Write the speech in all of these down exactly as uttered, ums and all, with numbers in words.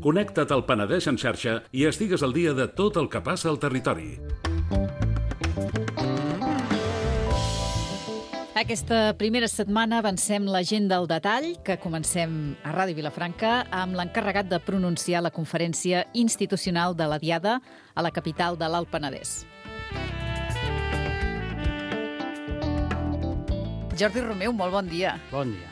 Connecta't al Penedès en xarxa i estigues al dia de tot el que passa al territori. Aquesta primera setmana avancem l'agenda al detall, que comencem a Ràdio Vilafranca amb l'encarregat de pronunciar la conferència institucional de la Diada a la capital de l'Alt Penedès. Jordi Romeu, molt bon dia. Bon dia.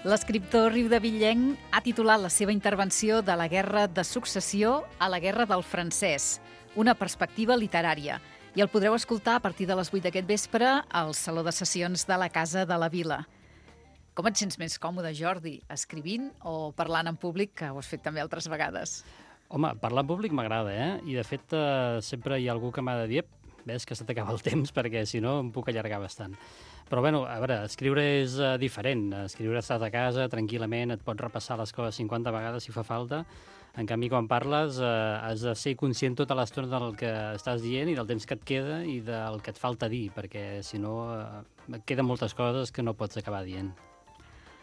L'escriptor riudevillenc ha titulat la seva intervenció de la Guerra de Successió a la Guerra del Francès, una perspectiva literària. I el podreu escoltar a partir de les vuit d'aquest vespre al Saló de Sessions de la Casa de la Vila. Com et sents més còmode, Jordi, escrivint o parlant en públic, que ho has fet també altres vegades? Home, parlar en públic m'agrada, eh? I, de fet, eh, sempre hi ha algú que m'ha de dir ves que se t'acaba el temps, perquè si no em puc allargar bastant. Però, bueno, a veure, escriure és uh, diferent. Escriure estàs a casa, tranquil·lament, et pots repassar les coses cinquanta vegades si fa falta. En canvi, quan parles, eh, has de ser conscient tota l'estona del que estàs dient i del temps que et queda i del que et falta dir, perquè, si no, eh, queden moltes coses que no pots acabar dient.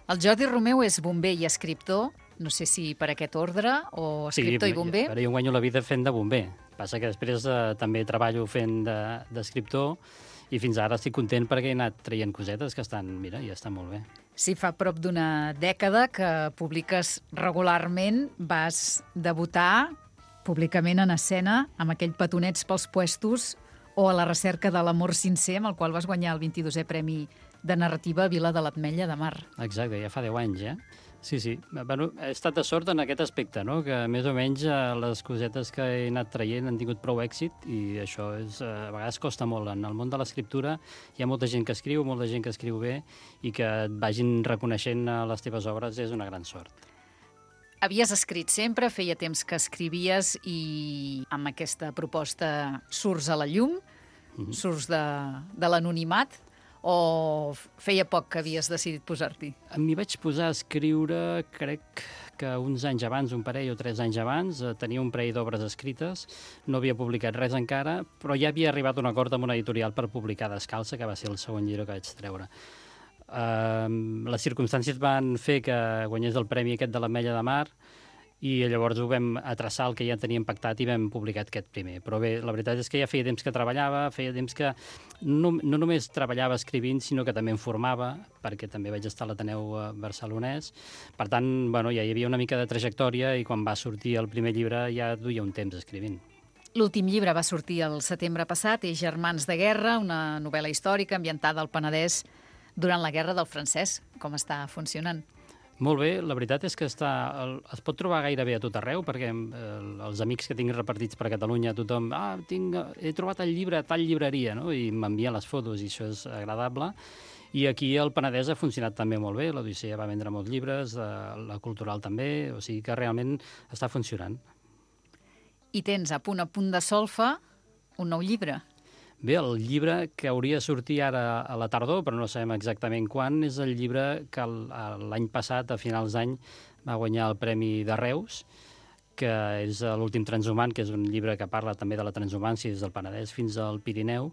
El Jordi Romeu és bomber i escriptor, no sé si per aquest ordre, o escriptor sí, i bomber. Sí, jo guanyo la vida fent de bomber. Passa que després eh, també treballo fent d'escriptor de, i fins ara estic content perquè he anat traient cosetes que estan, mira, i estan molt bé. Sí, fa prop d'una dècada que publiques regularment, vas debutar públicament en escena amb aquell Petonets pels puestos o A la recerca de l'amor sincer, amb el qual vas guanyar el vint-i-dosè Premi de Narrativa Vila de l'Ametlla de Mar. Exacte, ja fa deu anys, eh? Sí, sí. Bueno, he estat de sort en aquest aspecte, no? Que més o menys eh, les cosetes que he anat traient han tingut prou èxit i això és, eh, a vegades costa molt. En el món de l'escriptura hi ha molta gent que escriu, molta gent que escriu bé i que et vagin reconeixent les teves obres és una gran sort. Havies escrit sempre, feia temps que escrivies i amb aquesta proposta surts a la llum, mm-hmm. surts de, de l'anonimat, o feia poc que havies decidit posar-t'hi? M'hi vaig posar a escriure, crec que uns anys abans, un parell o tres anys abans, tenia un parell d'obres escrites, no havia publicat res encara, però ja havia arribat a un acord amb una editorial per publicar Descalça, que va ser el segon llibre que vaig treure. Uh, les circumstàncies van fer que guanyés el premi aquest de l'Ametlla de Mar, i llavors ho vam atraçar el que ja teníem pactat i vam publicar aquest primer. Però bé, la veritat és que ja feia temps que treballava, feia temps que no, no només treballava escrivint, sinó que també em formava, perquè també vaig estar a l'Ateneu barcelonès. Per tant, bueno, ja hi havia una mica de trajectòria i quan va sortir el primer llibre ja duia un temps escrivint. L'últim llibre va sortir el setembre passat, és Germans de guerra, una novel·la històrica ambientada al Penedès durant la Guerra del Francès. Com està funcionant? Molt bé, la veritat és que està, el, es pot trobar gairebé a tot arreu, perquè eh, els amics que tinc repartits per Catalunya, tothom, ah, tinc, he trobat el llibre a tal llibreria, no? I m'envien les fotos i això és agradable. I aquí el Penedès ha funcionat també molt bé, l'Odissea va vendre molts llibres, eh, la Cultural també, o sigui que realment està funcionant. I tens a punt a punt de solfa un nou llibre. Bé, el llibre que hauria de sortir ara a la tardor, però no sabem exactament quan, és el llibre que l'any passat, a finals d'any, va guanyar el Premi de Reus, que és l'últim transhumant, que és un llibre que parla també de la transhumància des del Penedès fins al Pirineu,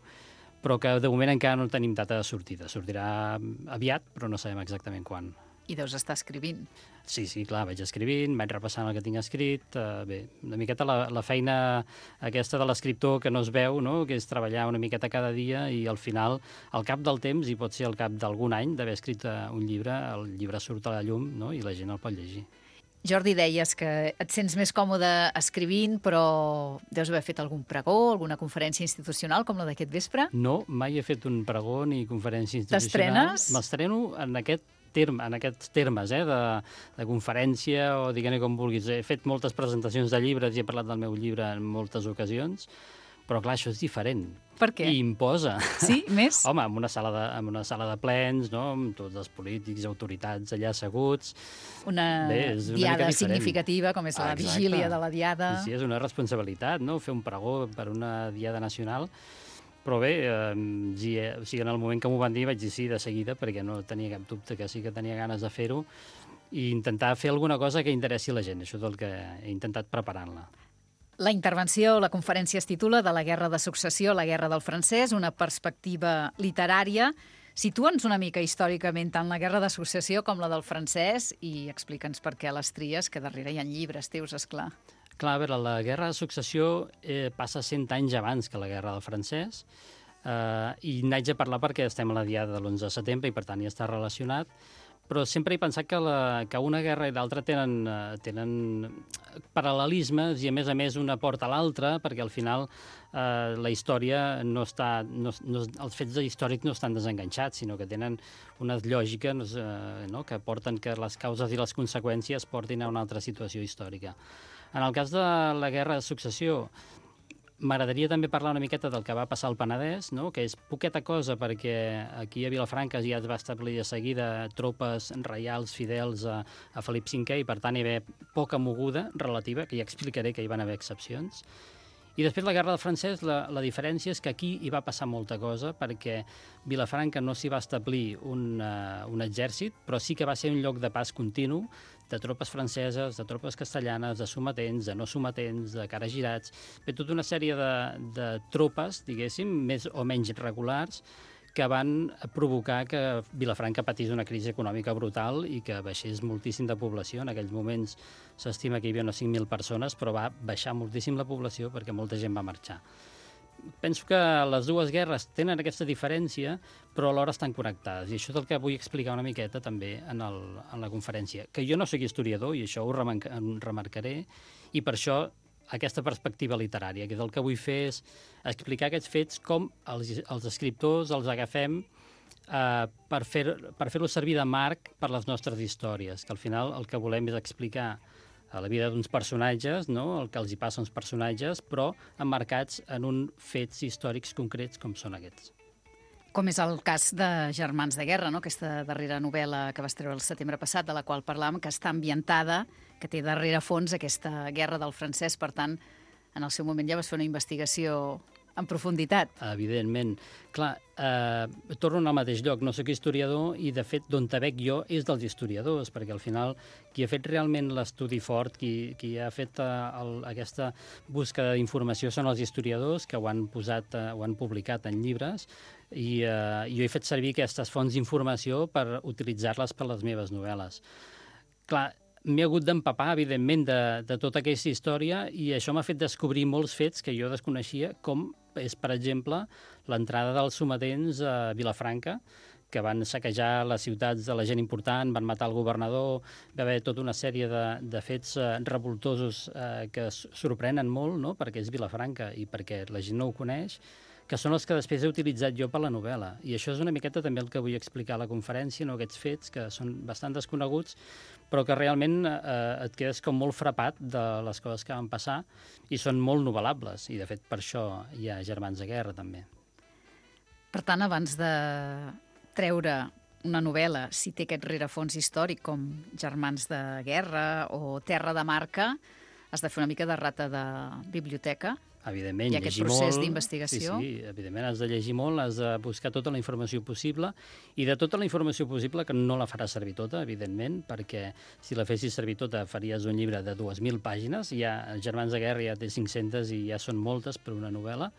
però que de moment encara no tenim data de sortida. Sortirà aviat, però no sabem exactament quan. I deus estar escrivint. Sí, sí, clar, vaig escrivint, vaig repassant el que tinc escrit. Uh, bé, una miqueta la, la feina aquesta de l'escriptor que no es veu, no? Que és treballar una miqueta cada dia i al final, al cap del temps, i pot ser al cap d'algun any d'haver escrit uh, un llibre, el llibre surt a la llum, no? I la gent el pot llegir. Jordi, deies que et sents més còmode escrivint, però deus haver fet algun pregó, alguna conferència institucional com la d'aquest vespre? No, mai he fet un pregó ni conferència institucional. T'estrenes? M'estreno en aquest terme, en aquests termes, eh, de, de conferència o diguem-ne com vulguis. He fet moltes presentacions de llibres i he parlat del meu llibre en moltes ocasions, però clar, això és diferent. Per què? I imposa. Sí? Més? Home, en una sala de, en una sala de plens, no? Amb tots els polítics, autoritats allà asseguts. Una, Bé, una diada significativa, com és la ah, vigília de la diada. Sí, sí, és una responsabilitat, no?, fer un pregó per una diada nacional. Però bé, eh, sí, eh, o sigui, en el moment que m'ho van dir vaig dir sí de seguida, perquè no tenia cap dubte que sí que tenia ganes de fer-ho i intentar fer alguna cosa que interessi a la gent. Això és el que he intentat preparant-la. La intervenció, la conferència es titula De la Guerra de Successió a la Guerra del Francès, una perspectiva literària. Situa'ns una mica històricament tant la Guerra de Successió com la del francès i explica'ns per què les tries, que darrere hi ha llibres teus, esclar. Clar, a veure, la Guerra de Successió eh, passa cent anys abans que la Guerra del francès, eh, i n'haig de parlar perquè estem a la diada de l'onze de setembre i per tant hi està relacionat, però sempre he pensat que, la, que una guerra i l'altra tenen, uh, tenen paral·lelismes i, a més a més, una porta a l'altra, perquè al final uh, la història no està... No, no, els fets històrics no estan desenganxats, sinó que tenen unes lògiques uh, no, que porten que les causes i les conseqüències portin a una altra situació històrica. En el cas de la Guerra de Successió, m'agradaria també parlar una miqueta del que va passar al Penedès, no? Que és poqueta cosa perquè aquí a Vilafranca ja es va establir de seguida tropes reials fidels a, a Felip cinquè i per tant hi va haver poca moguda relativa, que ja explicaré que hi van haver excepcions. I després la Guerra del francès, la, la diferència és que aquí hi va passar molta cosa perquè Vilafranca no s'hi va establir un, uh, un exèrcit, però sí que va ser un lloc de pas continu de tropes franceses, de tropes castellanes, de sometents, de no sometents, de caragirats, bé, tota una sèrie de, de tropes, diguéssim, més o menys regulars, que van provocar que Vilafranca patís una crisi econòmica brutal i que baixés moltíssim de població. En aquells moments s'estima que hi havia unes cinc mil persones, però va baixar moltíssim la població perquè molta gent va marxar. Penso que les dues guerres tenen aquesta diferència, però alhora estan connectades, i això és el que vull explicar una miqueta també en, el, en la conferència. Que jo no soc historiador, i això ho remarcaré, i per això aquesta perspectiva literària, que és el que vull fer és explicar aquests fets com els, els escriptors els agafem eh, per fer, per fer-los servir de marc per les nostres històries, que al final el que volem és explicar a la vida d'uns personatges, no? El que els hi passa a uns personatges, però emmarcats en uns fets històrics concrets com són aquests. Com és el cas de Germans de Guerra, no? Aquesta darrera novel·la que vas treure el setembre passat, de la qual parlàvem, que està ambientada, que té darrere fons aquesta guerra del francès. Per tant, en el seu moment ja vas fer una investigació en profunditat. Evidentment. Clar, eh, torno al mateix lloc. No soc historiador i, de fet, d'on te veig jo és dels historiadors, perquè al final qui ha fet realment l'estudi fort, qui, qui ha fet eh, el, aquesta búsqueda d'informació són els historiadors que ho han posat, eh, ho han publicat en llibres, i eh, jo he fet servir aquestes fonts d'informació per utilitzar-les per les meves novel·les. Clar, m'he hagut d'empapar, evidentment, de, de tota aquesta història, i això m'ha fet descobrir molts fets que jo desconeixia, com és, per exemple, l'entrada dels sometents a Vilafranca, que van saquejar les ciutats de la gent important, van matar el governador, va haver tota una sèrie de, de fets eh, revoltosos eh, que sorprenen molt, no?, perquè és Vilafranca i perquè la gent no ho coneix, que són els que després he utilitzat jo per la novel·la. I això és una miqueta també el que vull explicar a la conferència, no? Aquests fets que són bastant desconeguts, però que realment eh, et quedes com molt frapat de les coses que van passar i són molt novel·lables. I, de fet, per això hi ha Germans de Guerra, també. Per tant, abans de treure una novel·la, si té aquest rerefons històric, com Germans de Guerra o Terra de Marca, has de fer una mica de rata de biblioteca. Evidentment, i aquest llegir procés molt, d'investigació. Sí, sí, evidentment has de llegir molt, has de buscar tota la informació possible, i de tota la informació possible, que no la faràs servir tota, evidentment, perquè si la fessis servir tota faries un llibre de dues mil pàgines, ja Germans de Guerra ja té cinc-centes i ja són moltes per una novel·la,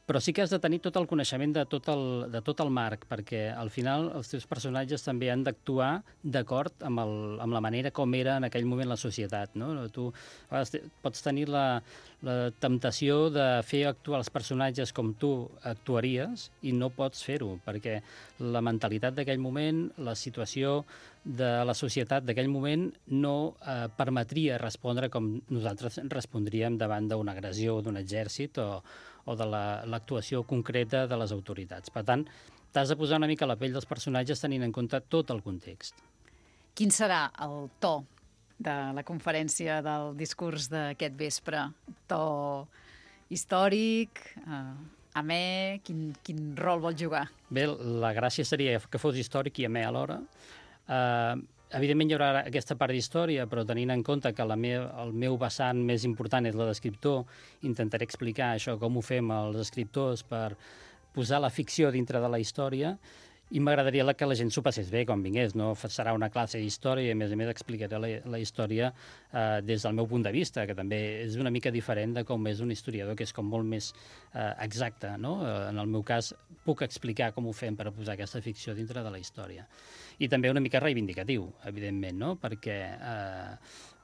però sí que has de tenir tot el coneixement de tot el, de tot el marc, perquè al final els teus personatges també han d'actuar d'acord amb, el, amb la manera com era en aquell moment la societat, no? Tu a vegades pots tenir la, la temptació de fer actuar els personatges com tu actuaries i no pots fer-ho, perquè la mentalitat d'aquell moment, la situació de la societat d'aquell moment no eh, permetria respondre com nosaltres respondríem davant d'una agressió d'un exèrcit o, o de l'actuació la, concreta de les autoritats. Per tant, t'has de posar una mica a la pell dels personatges tenint en compte tot el context. Quin serà el to de la conferència, del discurs d'aquest vespre? To històric, eh, amè, quin, quin rol vol jugar? Bé, la gràcia seria que fos històric i amè alhora. Uh, evidentment hi haurà aquesta part d'història, però tenint en compte que la me el meu vessant més important és la d'escriptor, intentaré explicar això, com ho fem els escriptors per posar la ficció dintre de la història, i m'agradaria que la gent s'ho passés bé quan vingués, no? Serà una classe d'història i, a més a més, explicaré la, la història eh, des del meu punt de vista, que també és una mica diferent de com és un historiador, que és com molt més eh, exacte, no? Eh, en el meu cas, puc explicar com ho fem per posar aquesta ficció dintre de la història. I també una mica reivindicatiu, evidentment, no? Perquè eh,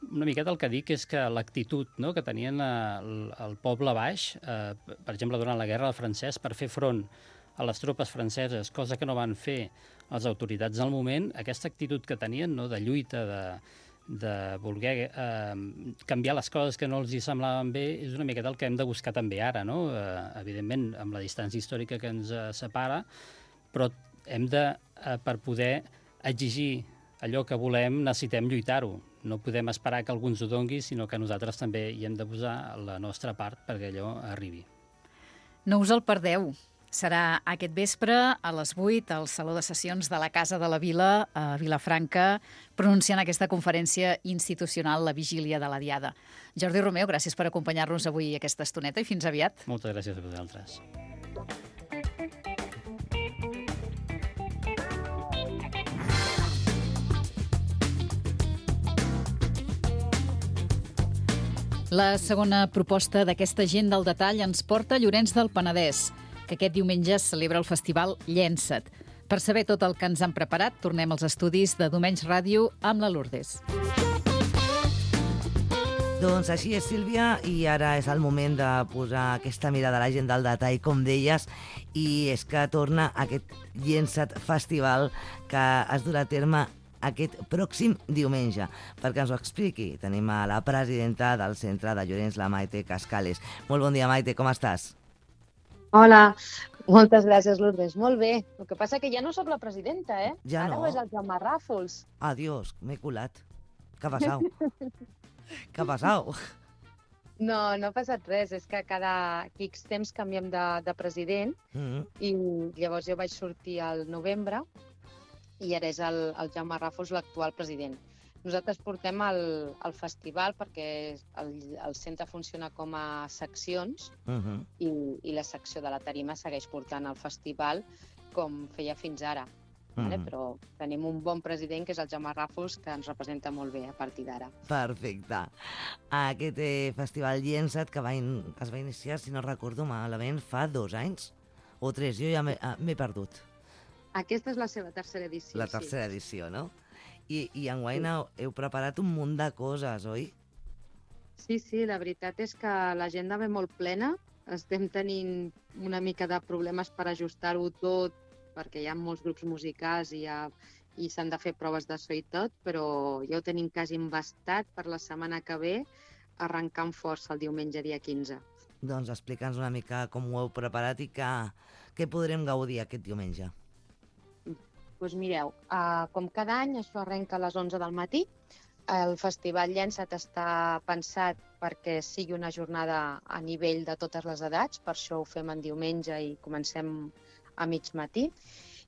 una miqueta el que dic és que l'actitud, no?, que tenien el, el poble baix, eh, per exemple, durant la Guerra del Francès, per fer front a les tropes franceses, cosa que no van fer les autoritats al moment, aquesta actitud que tenien, no?, de lluita, de, de voler eh, canviar les coses que no els hi semblaven bé, és una miqueta el que hem de buscar també ara, no? Eh, evidentment, amb la distància històrica que ens eh, separa, però hem de, eh, per poder exigir allò que volem, necessitem lluitar-ho. No podem esperar que algú ens ho dongui, sinó que nosaltres també hi hem de posar la nostra part perquè allò arribi. No us el perdeu. Serà aquest vespre a les vuit al Saló de Sessions de la Casa de la Vila, a Vilafranca, pronunciant aquesta conferència institucional, la vigília de la Diada. Jordi Romeu, gràcies per acompanyar-nos avui aquesta estoneta i fins aviat. Moltes gràcies a vosaltres. La segona proposta d'aquesta gent del detall ens porta a Llorenç del Penedès, que aquest diumenge celebra el festival Llença't. Per saber tot el que ens han preparat, tornem als estudis de Domenys Ràdio amb la Lourdes. Doncs així és, Sílvia, i ara és el moment de posar aquesta mirada a la gent del detall, com deies, i és que torna aquest Llença't Festival que es durà a terme aquest pròxim diumenge. Perquè ens ho expliqui, tenim a la presidenta del Centre de Llorenç, la Maite Cascales. Molt bon dia, Maite, com estàs? Hola, moltes gràcies, Lourdes. Molt bé. El que passa que ja no sóc la presidenta, eh? Ja Ara no. ho és el Jaume Ràfols. Adiós, m'he colat. Què ha passat? Què ha passat? No, no ha passat res. És que cada X temps canviem de, de president Mm-hmm. i llavors jo vaig sortir al novembre i ara és el, el Jaume Ràfols l'actual president. Nosaltres portem el, el festival perquè el, el centre funciona com a seccions Mm-hmm. i, i la secció de la tarima segueix portant el festival com feia fins ara. Vale? Mm-hmm. Però tenim un bon president, que és el Jaume Ràfols, que ens representa molt bé a partir d'ara. Perfecte. Aquest eh, festival Llença't que va in... es va iniciar, si no recordo malament, fa dos anys o tres. Jo ja m'he ah, m'he perdut. Aquesta és la seva tercera edició. La tercera edició, no? I, i enguany heu preparat un munt de coses, oi? Sí, sí, la veritat és que l'agenda ve molt plena. Estem tenint una mica de problemes per ajustar-ho tot, perquè hi ha molts grups musicals i, ha, i s'han de fer proves de so i tot, però ja ho tenim quasi embastat per la setmana que ve, arrencant força el diumenge dia quinze. Doncs explica'ns una mica com ho heu preparat i que, què podrem gaudir aquest diumenge. Doncs mireu, uh, com cada any, això arrenca a les onze del matí. El Festival Llença't està pensat perquè sigui una jornada a nivell de totes les edats, per això ho fem en diumenge i comencem a mig matí.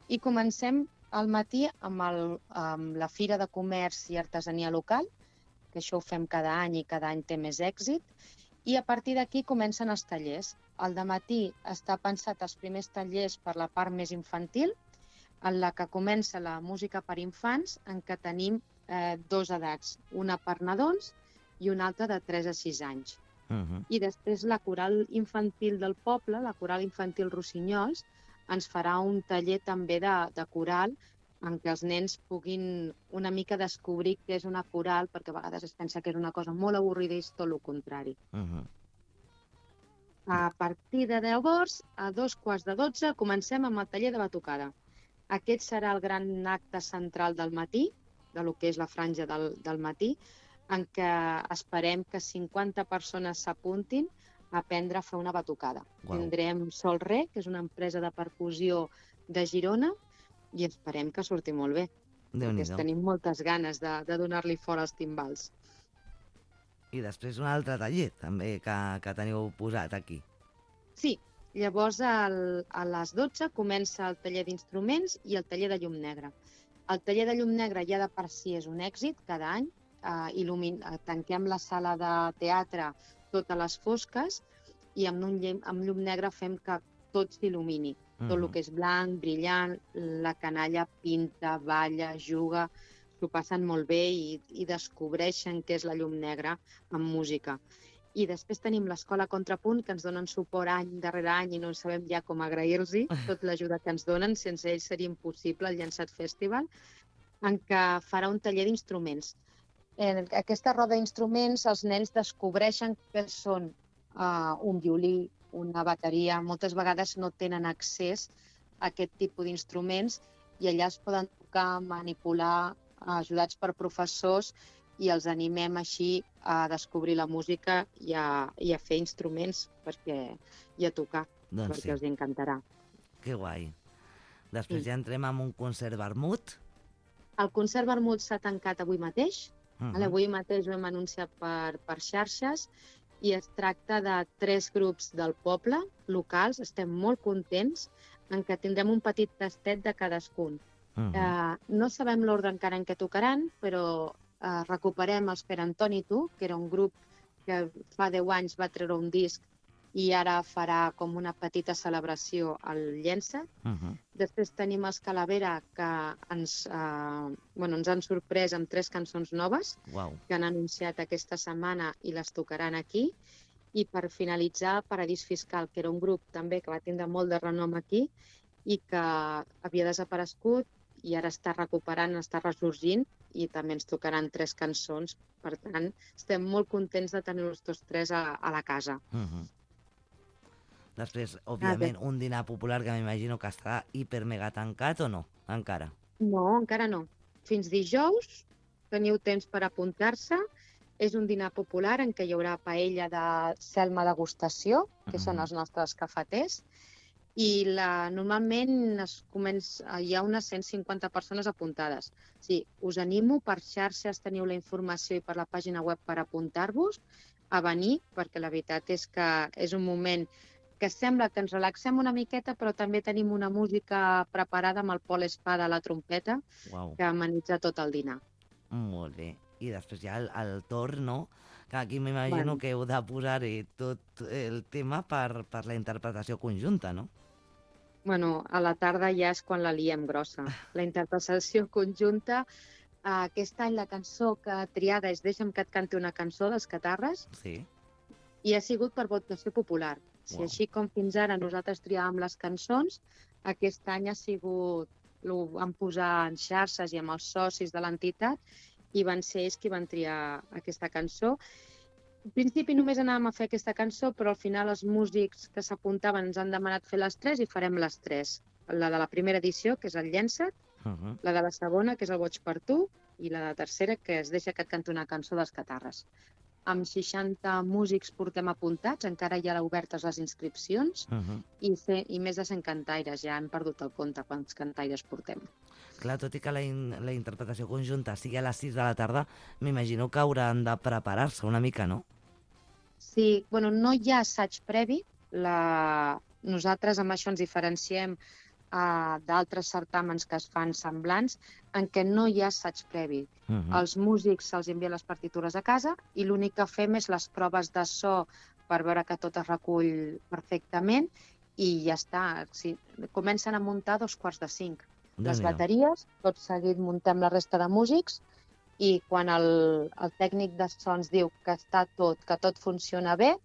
I comencem al matí amb, el, amb la Fira de Comerç i Artesania Local, que això ho fem cada any i cada any té més èxit, i a partir d'aquí comencen els tallers. Al dematí està pensat els primers tallers per la part més infantil, en la que comença la música per infants, en què tenim eh, dos edats, una per nadons i una altra de tres a sis anys. Uh-huh. I després la coral infantil del poble, la coral infantil Rossinyols, ens farà un taller també de, de coral en què els nens puguin una mica descobrir què és una coral, perquè a vegades es pensa que és una cosa molt avorrida i és tot el contrari. Uh-huh. A partir de llavors, a dos quarts de dotze, comencem amb el taller de batucada. Aquest serà el gran acte central del matí, de lo que és la franja del, del matí, en què esperem que cinquanta persones s'apuntin a aprendre a fer una batucada. Uau. Tindrem Sol Re, que és una empresa de percussió de Girona, i esperem que surti molt bé. Déu-n'hi-do. Tenim moltes ganes de, de donar-li fora els timbals. I després un altre taller, també, que, que teniu posat aquí. Sí, llavors el, a les dotze comença el taller d'instruments i el taller de llum negra. El taller de llum negra ja de per si és un èxit cada any. Eh, il·lumin... Tanquem la sala de teatre totes les fosques i amb, un llum, amb llum negra fem que tot s'il·lumini. Tot el que és blanc, brillant, la canalla pinta, balla, juga, s'ho passen molt bé i, i descobreixen què és la llum negra amb música. I després tenim l'Escola Contrapunt, que ens donen suport any darrere any i no sabem ja com agrair-los tot l'ajuda que ens donen. Sense ells seria impossible el Llençat Festival, en què farà un taller d'instruments. En aquesta roda d'instruments els nens descobreixen què són uh, un violí, una bateria. Moltes vegades no tenen accés a aquest tipus d'instruments i allà es poden tocar, manipular, ajudats per professors, i els animem així a descobrir la música i a, i a fer instruments perquè, i a tocar, doncs perquè sí. els encantarà. Que guai. Després Sí. ja entrem amb un concert vermut. El concert vermut s'ha tancat avui mateix. Uh Uh-huh. Avui mateix ho hem anunciat per, per xarxes i es tracta de tres grups del poble locals. Estem molt contents en què tindrem un petit tastet de cadascun. Uh -huh. Uh, no sabem l'ordre encara en què tocaran, però uh, recuperem els Per Antoni Tu, que era un grup que fa deu anys va treure un disc i ara farà com una petita celebració al Llençat. Uh -huh. Després tenim els Calavera, que ens, uh, bueno, ens han sorprès amb tres cançons noves Uau. que han anunciat aquesta setmana i les tocaran aquí. I per finalitzar, Paradís Fiscal, que era un grup també que va tindre molt de renom aquí i que havia desaparegut i ara està recuperant, està ressorgint i també ens tocaran tres cançons. Per tant, estem molt contents de tenir-los tots tres a, a la casa. Uh -huh. Després, òbviament, un dinar popular que m'imagino que està hiper mega tancat o no? Encara? No, encara no. Fins dijous teniu temps per apuntar-se. És un dinar popular en què hi haurà paella de Selma degustació, que són els nostres cafeters, i la, normalment es comença, hi ha unes cent cinquanta persones apuntades. Sí, us animo, per xarxes teniu la informació i per la pàgina web per apuntar-vos a venir, perquè la veritat és que és un moment que sembla que ens relaxem una miqueta, però també tenim una música preparada amb el Pol Espada a la trompeta, Uau. que amenitza tot el dinar. Molt bé. I després ja el, el torn, no? Que aquí m'imagino Bueno. que heu de posar-hi tot el tema per, per la interpretació conjunta, no? Bueno, a la tarda ja és quan la liem grossa. La interpretació conjunta, eh, aquest any la cançó que triada és Deixa'm que et canti una cançó dels Catarres Sí. i ha sigut per votació popular. Si Uau. així com fins ara nosaltres triàvem les cançons, aquest any ha sigut, ho vam posar en xarxes i amb els socis de l'entitat i van ser ells qui van triar aquesta cançó. Al principi només anàvem a fer aquesta cançó, però al final els músics que s'apuntaven ens han demanat fer les tres i farem les tres. La de la primera edició, que és el Llençat, Uh -huh. la de la segona, que és el Boig per tu, i la de tercera, que es Deixa que et canti una cançó dels Catarres. Amb seixanta músics portem apuntats, encara hi ha obertes les inscripcions, Uh -huh. i, fe, i més de cent cantaires. Ja hem perdut el compte quants cantaires portem. Clar, tot i que la, in, la interpretació conjunta sigui a les sis de la tarda, m'imagino que hauran de preparar-se una mica, no? Sí, bueno, no hi ha assaig previ. La... Nosaltres amb això ens diferenciem uh, d'altres certàmens que es fan semblants, en què no hi ha assaig previ. Uh -huh. Els músics se'ls envien les partitures a casa i l'únic que fem és les proves de so per veure que tot es recull perfectament i ja està. Sí, comencen a muntar a dos quarts de cinc. Les bateries, tot seguit muntem la resta de músics i quan el, el tècnic de so ens diu que està tot, que tot funciona bé,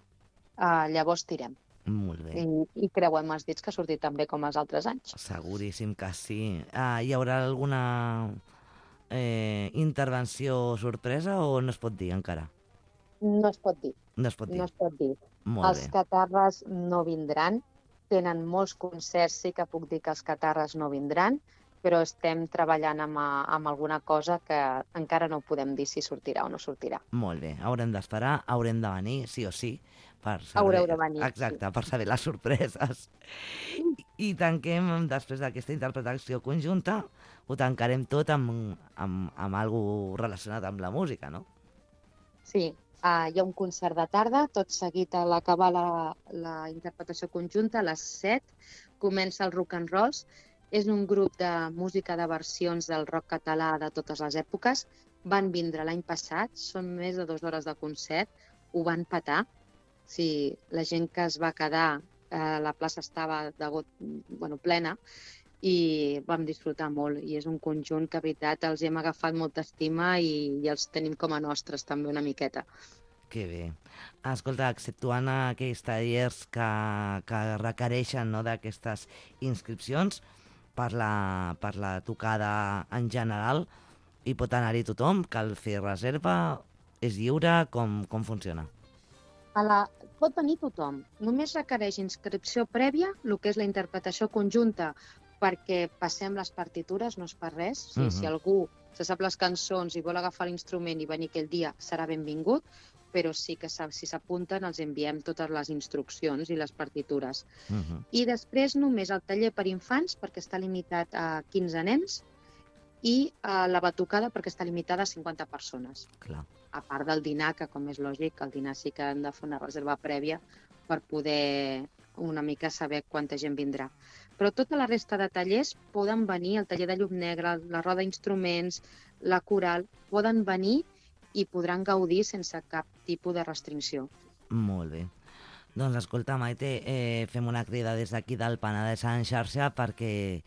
uh, llavors tirem. Molt bé. I, I creuem els dits que ha sortit tan bé com els altres anys. Seguríssim que sí. Ah, hi haurà alguna eh, intervenció sorpresa o no es pot dir encara? No es pot dir. No es pot dir. No es pot dir. Molt Els bé. Catarres no vindran. Tenen molts concerts, sí que puc dir que els Catarres no vindran, però estem treballant amb, amb alguna cosa que encara no podem dir si sortirà o no sortirà. Molt bé. Haurem d'esperar, haurem de venir, sí o sí, per saber... Haureu de venir, Exacte, sí. per saber les sorpreses. I, i tanquem, després d'aquesta interpretació conjunta, ho tancarem tot amb, amb, amb alguna relacionat amb la música, no? Sí, uh, hi ha un concert de tarda, tot seguit a l'acabar la, la interpretació conjunta, a les set, comença el Rock and Rolls. És un grup de música de versions del rock català de totes les èpoques. Van vindre l'any passat, són més de dues hores de concert, ho van petar. Sí, la gent que es va quedar eh, la plaça estava de got, bueno, plena, i vam disfrutar molt. I és un conjunt que, a veritat, els hem agafat molta estima i, i els tenim com a nostres també una miqueta. Que bé. Escolta, exceptuant aquells tallers que, que requereixen, no, d'aquestes inscripcions per la, per la tocada en general, hi pot anar-hi tothom? Cal fer reserva? És lliure? Com, com funciona? A la... Pot venir tothom. Només requereix inscripció prèvia, el que és la interpretació conjunta, perquè passem les partitures, no és per res. O sigui, uh-huh. Si algú se sap les cançons i vol agafar l'instrument i venir aquell dia, serà benvingut, però sí que si s'apunten els enviem totes les instruccions i les partitures. Uh-huh. I després només el taller per infants, perquè està limitat a quinze nens, i a la batucada perquè està limitada a cinquanta persones. Clar. A part del dinar, que com és lògic, el dinar sí que hem de fer una reserva prèvia per poder una mica saber quanta gent vindrà. Però tota la resta de tallers poden venir, el taller de llum negra, la roda d'instruments, la coral, poden venir i podran gaudir sense cap tipus de restricció. Molt bé. Doncs escolta, Maite, eh, fem una crida des d'aquí del Penedès en xarxa perquè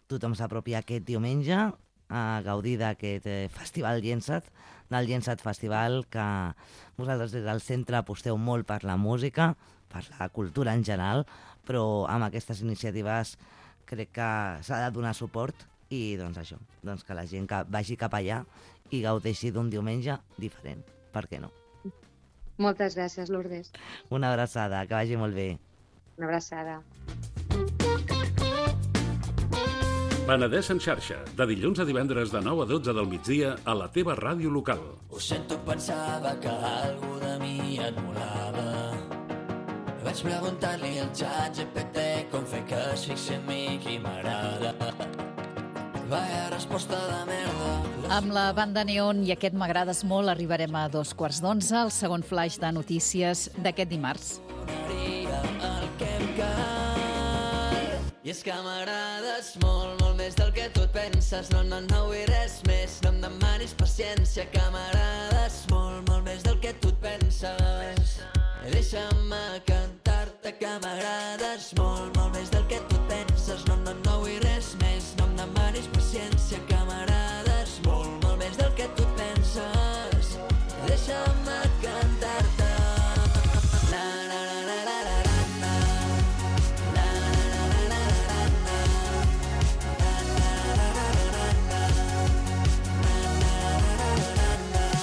tothom s'apropi aquest diumenge a gaudir d'aquest eh, festival Llençat, del Llençat Festival, que vosaltres des del centre aposteu molt per la música, per la cultura en general, però amb aquestes iniciatives crec que s'ha de donar suport i doncs això, doncs que la gent que vagi cap allà i gaudeixi d'un diumenge diferent. Per què no? Moltes gràcies, Lourdes. Una abraçada, que vagi molt bé. Una abraçada. Penedès en xarxa, de dilluns a divendres de nou a dotze del migdia a la teva ràdio local. Ho sento, pensava que algú de mi et molava. Vaig preguntar-li al xat G P T com fer que es fixi en mi qui m'agrada. Vaya resposta de merda. Amb la banda Neon i aquest M'agrades molt arribarem a dos quarts d'onze, el segon flash de notícies d'aquest dimarts. El que em cal. I és que m'agrades molt, molt més del que tu et penses. No, no, no vull res més, no em demanis paciència, que m'agrades molt, molt més del que tu et penses. Deixa'm cantar-te que m'agrades molt, molt més del que tu et penses. No, no, no vull res més, no em demanis paciència, que m'agrades molt, molt més del que tu et penses. Deixa'm cantar-te. Na, na, na, na, na, na, na. Na, na, na, na, na, na. Na, na, na, na, na, na.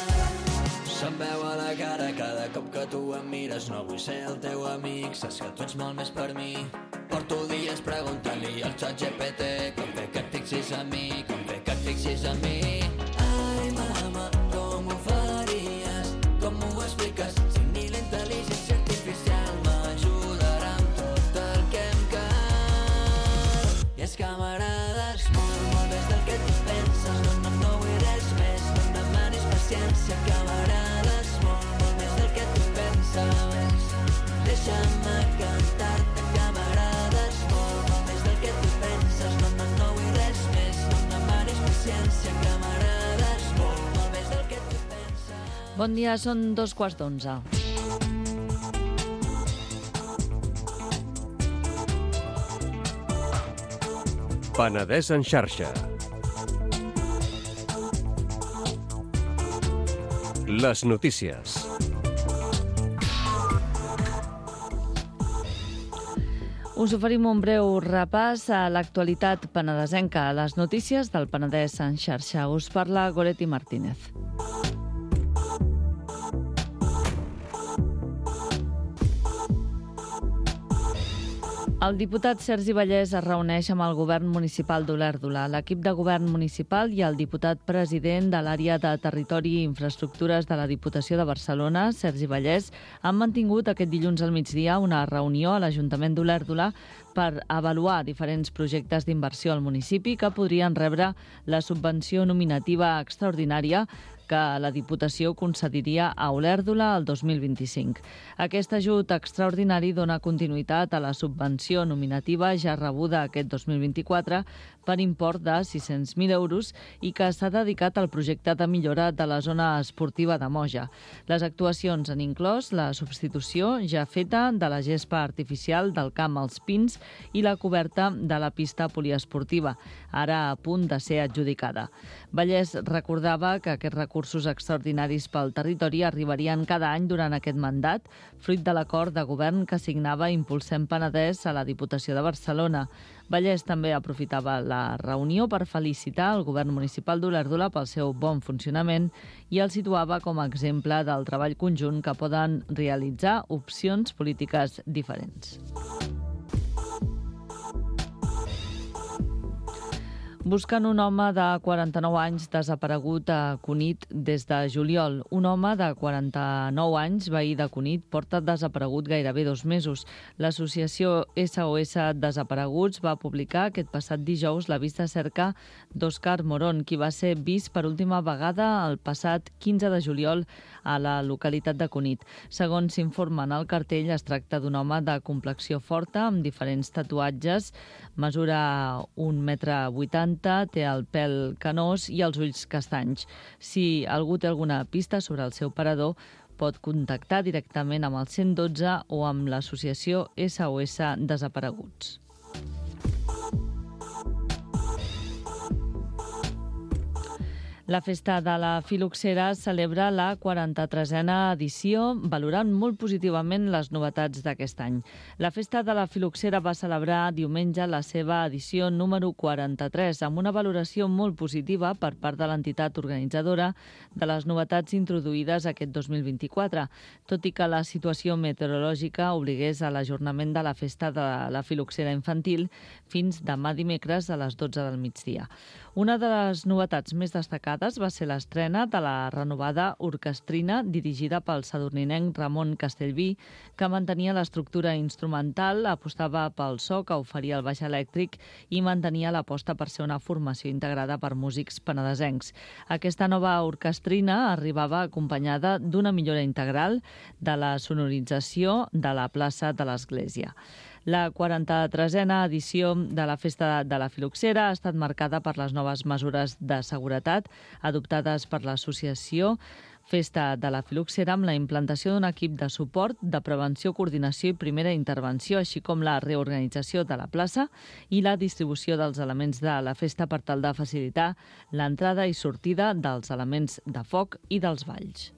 Se'm veu a la cara cada cop que tu em mires. No vull ser el teu amic, saps que tu ets molt més per mi. Porto dies preguntant-li al xat G P T com fer que et fixis en mi, com fer que et fixis en mi. Ai, mama, com ho faries? Com m'ho expliques? Si ni la intel·ligència artificial m'ajudarà amb tot el que em cal. I és que m'agrades molt, molt més del que tu penses. No, no, no vull res més, no em demanis paciència, que m'agrades molt, molt més del que tu penses. Deixa'm cantar-te que m'agrades molt, molt més del que tu penses. No, no, no vull res més, no em demanis paciència, que m'agrades molt, molt més del que tu penses. Bon dia, són dos quarts d'onze. Penedès en xarxa. Les notícies. Us oferim un breu repàs a l'actualitat penedesenca, a les notícies del Penedès en xarxa. Us parla Goretti Martínez. El diputat Sergi Vallès es reuneix amb el govern municipal d'Olèrdola, l'equip de govern municipal i el diputat president de l'àrea de Territori i Infraestructures de la Diputació de Barcelona, Sergi Vallès, han mantingut aquest dilluns al migdia una reunió a l'Ajuntament d'Olèrdola per avaluar diferents projectes d'inversió al municipi que podrien rebre la subvenció nominativa extraordinària que la Diputació concediria a Olèrdola el dos mil vint-i-cinc. Aquest ajut extraordinari dona continuïtat a la subvenció nominativa ja rebuda aquest dos mil vint-i-quatre per import de sis-cents mil euros i que s'ha dedicat al projecte de millora de la zona esportiva de Moja. Les actuacions han inclòs la substitució ja feta de la gespa artificial del camp als Pins i la coberta de la pista poliesportiva, ara a punt de ser adjudicada. Vallès recordava que aquests recursos extraordinaris pel territori arribarien cada any durant aquest mandat, fruit de l'acord de govern que signava Impulsem Penedès a la Diputació de Barcelona. Vallès també aprofitava la reunió per felicitar el govern municipal d'Olèrdola pel seu bon funcionament i el situava com a exemple del treball conjunt que poden realitzar opcions polítiques diferents. Busquen un home de quaranta-nou anys desaparegut a Cunit des de juliol. Un home de quaranta-nou anys, veí de Cunit, porta desaparegut gairebé dos mesos. L'associació S O S Desapareguts va publicar aquest passat dijous l'avís de cerca d'Òscar Morón, qui va ser vist per última vegada el passat quinze de juliol a la localitat de Cunit. Segons s'informa en el cartell, es tracta d'un home de complexió forta, amb diferents tatuatges, mesura un metre vuitanta, té el pèl canós i els ulls castanys. Si algú té alguna pista sobre el seu parador, pot contactar directament amb el cent dotze o amb l'associació S O S Desapareguts. La Festa de la Filoxera celebra la quaranta-tresena edició, valorant molt positivament les novetats d'aquest any. La Festa de la Filoxera va celebrar diumenge la seva edició número quaranta-tres, amb una valoració molt positiva per part de l'entitat organitzadora de les novetats introduïdes aquest dos mil vint-i-quatre, tot i que la situació meteorològica obligués a l'ajornament de la Festa de la Filoxera infantil fins demà dimecres a les dotze del migdia. Una de les novetats més destacades va ser l'estrena de la renovada orquestrina dirigida pel sadurninenc Ramon Castellví, que mantenia l'estructura instrumental, apostava pel so que oferia el baix elèctric i mantenia l'aposta per ser una formació integrada per músics penedesencs. Aquesta nova orquestrina arribava acompanyada d'una millora integral de la sonorització de la plaça de l'Església. La quaranta-tresena edició de la Festa de la Filoxera ha estat marcada per les noves mesures de seguretat adoptades per l'associació Festa de la Filoxera, amb la implantació d'un equip de suport, de prevenció, coordinació i primera intervenció, així com la reorganització de la plaça i la distribució dels elements de la festa per tal de facilitar l'entrada i sortida dels elements de foc i dels balls.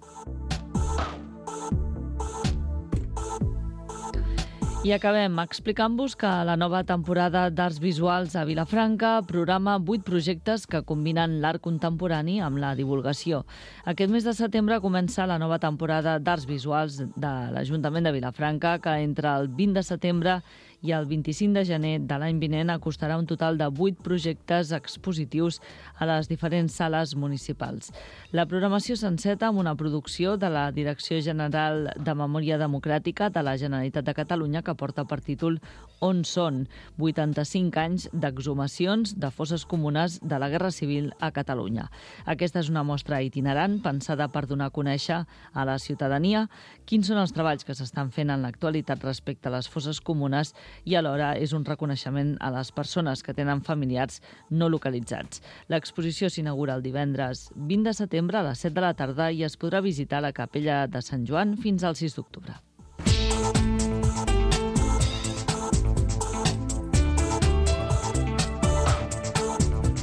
I acabem explicant-vos que la nova temporada d'Arts Visuals a Vilafranca programa vuit projectes que combinen l'art contemporani amb la divulgació. Aquest mes de setembre comença la nova temporada d'Arts Visuals de l'Ajuntament de Vilafranca, que entre el vint de setembre i el vint-i-cinc de gener de l'any vinent acostarà un total de vuit projectes expositius a les diferents sales municipals. La programació s'enceta amb una producció de la Direcció General de Memòria Democràtica de la Generalitat de Catalunya que porta per títol On són? vuitanta-cinc anys d'exhumacions de fosses comunes de la Guerra Civil a Catalunya. Aquesta és una mostra itinerant pensada per donar a conèixer a la ciutadania quins són els treballs que s'estan fent en l'actualitat respecte a les fosses comunes i alhora és un reconeixement a les persones que tenen familiars no localitzats. L'exposició s'inaugura el divendres vint de setembre a les set de la tarda i es podrà visitar la capella de Sant Joan fins al sis d'octubre.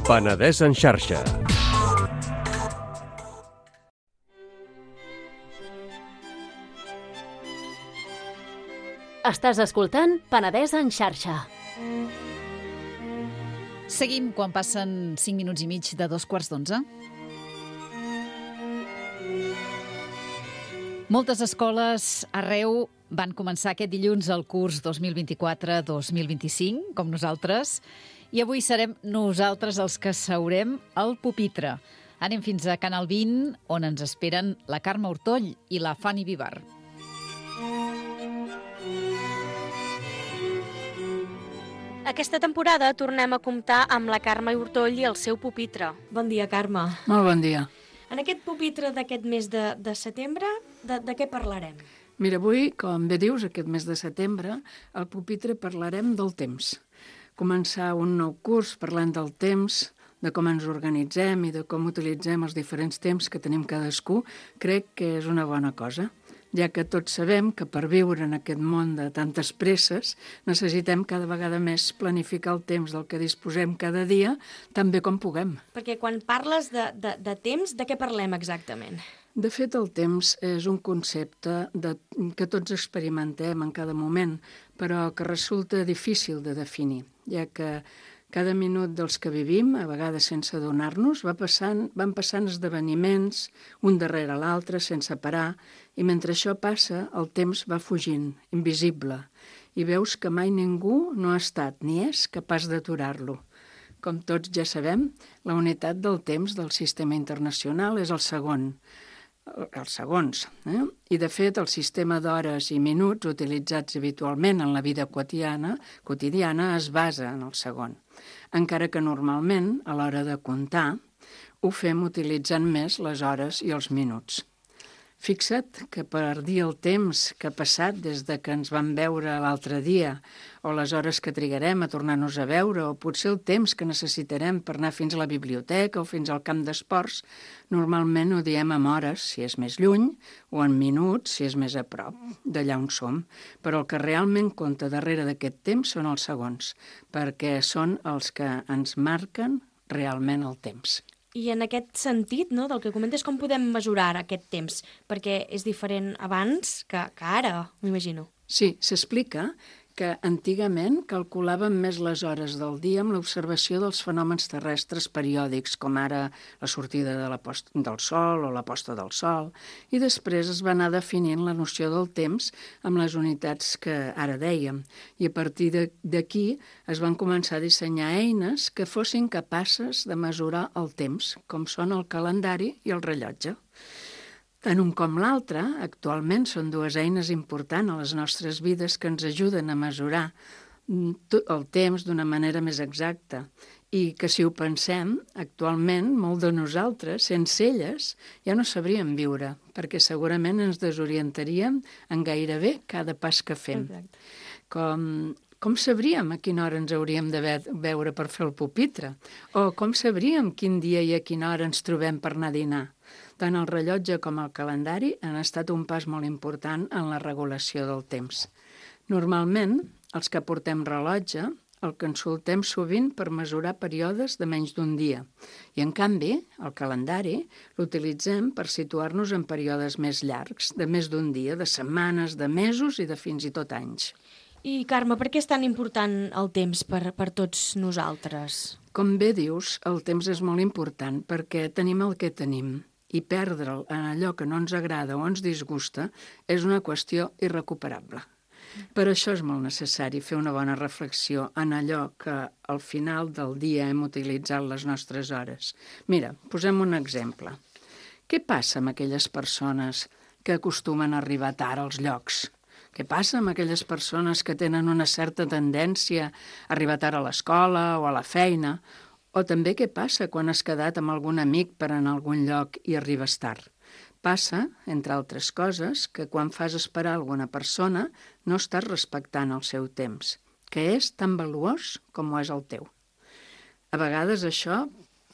Penedès en xarxa. Estàs escoltant Penedès en xarxa. Seguim quan passen cinc minuts i mig de dos quarts d'onze. Moltes escoles arreu van començar aquest dilluns el curs dos mil vint-i-quatre dos mil vint-i-cinc, com nosaltres, i avui serem nosaltres els que seurem al pupitre. Anem fins a Canal vint, on ens esperen la Carme Hortoll i la Fanny Vivar. Aquesta temporada tornem a comptar amb la Carme Hortoll i el seu pupitre. Bon dia, Carme. Molt bon dia. En aquest pupitre d'aquest mes de, de setembre, de, de què parlarem? Mira, avui, com bé dius, aquest mes de setembre, al pupitre parlarem del temps. Començar un nou curs parlant del temps, de com ens organitzem i de com utilitzem els diferents temps que tenim cadascú, crec que és una bona cosa, ja que tots sabem que per viure en aquest món de tantes presses necessitem cada vegada més planificar el temps del que disposem cada dia tan bé com puguem. Perquè quan parles de, de, de temps, de què parlem exactament? De fet, el temps és un concepte de, que tots experimentem en cada moment, però que resulta difícil de definir, ja que cada minut dels que vivim, a vegades sense adonar-nos, va passant, van passant esdeveniments, un darrere l'altre, sense parar, i mentre això passa, el temps va fugint, invisible, i veus que mai ningú no ha estat ni és capaç d'aturar-lo. Com tots ja sabem, la unitat del temps del sistema internacional és el segon, els segons, eh? I de fet el sistema d'hores i minuts utilitzats habitualment en la vida quotidiana, quotidiana es basa en el segon, encara que normalment, a l'hora de comptar, ho fem utilitzant més les hores i els minuts. Fixa't que per dir el temps que ha passat des de que ens vam veure l'altre dia, o les hores que trigarem a tornar-nos a veure, o potser el temps que necessitarem per anar fins a la biblioteca o fins al camp d'esports, normalment ho diem en hores, si és més lluny, o en minuts, si és més a prop, d'allà on som. Però el que realment compta darrere d'aquest temps són els segons, perquè són els que ens marquen realment el temps. I en aquest sentit, no, del que comentes, com podem mesurar aquest temps? Perquè és diferent abans que, que ara, m'imagino. Sí, s'explica que antigament calculàvem més les hores del dia amb l'observació dels fenòmens terrestres periòdics, com ara la sortida de la posta del sol o la posta del sol, i després es va anar definint la noció del temps amb les unitats que ara dèiem, i a partir d'aquí es van començar a dissenyar eines que fossin capaces de mesurar el temps, com són el calendari i el rellotge. Tant un com l'altre, actualment, són dues eines importants a les nostres vides que ens ajuden a mesurar el temps d'una manera més exacta i que, si ho pensem, actualment, molt de nosaltres, sense elles, ja no sabríem viure, perquè segurament ens desorientaríem en gairebé cada pas que fem. Exacte. Com... Com sabríem a quina hora ens hauríem de veure per fer el pupitre? O com sabríem quin dia i a quina hora ens trobem per anar a dinar? Tant el rellotge com el calendari han estat un pas molt important en la regulació del temps. Normalment, els que portem rellotge el consultem sovint per mesurar períodes de menys d'un dia. I, en canvi, el calendari l'utilitzem per situar-nos en períodes més llargs, de més d'un dia, de setmanes, de mesos i de fins i tot anys. I, Carme, per què és tan important el temps per, per tots nosaltres? Com bé dius, el temps és molt important perquè tenim el que tenim i perdre'l en allò que no ens agrada o ens disgusta és una qüestió irrecuperable. Per això és molt necessari fer una bona reflexió en allò que al final del dia hem utilitzat les nostres hores. Mira, posem un exemple. Què passa amb aquelles persones que acostumen a arribar tard als llocs? Què passa amb aquelles persones que tenen una certa tendència a arribar tard a l'escola o a la feina? O també què passa quan has quedat amb algun amic per anar a algun lloc i arribes tard? Passa, entre altres coses, que quan fas esperar alguna persona no estàs respectant el seu temps, que és tan valuós com ho és el teu. A vegades això